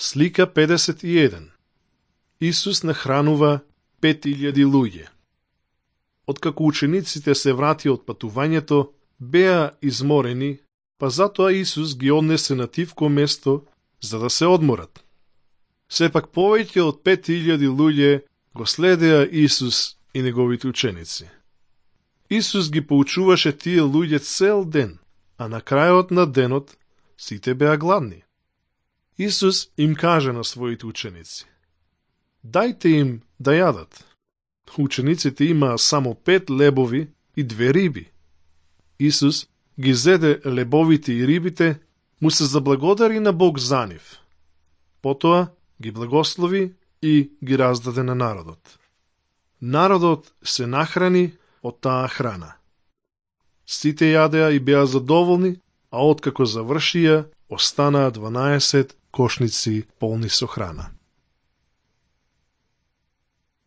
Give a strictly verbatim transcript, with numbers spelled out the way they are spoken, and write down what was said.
Слика педесет и еден. Исус нахранува пет илјади луѓе. Откако учениците се врати од патувањето, беа изморени, па затоа Исус ги однесе на тивко место за да се одморат. Сепак повеќе од пет илјади луѓе го следеа Исус и неговите ученици. Исус ги поучуваше тие луѓе цел ден, а на крајот на денот сите беа гладни. Исус им каже на своите ученици: дајте им да јадат. Учениците имаа само пет лебови и две риби. Исус ги зеде лебовите и рибите, му се заблагодари на Бог за нив. Потоа ги благослови и ги раздаде на народот. Народот се нахрани од таа храна. Сите јадеа и беа задоволни, а откако завршија, останаа дванаесет кошници полни со храна.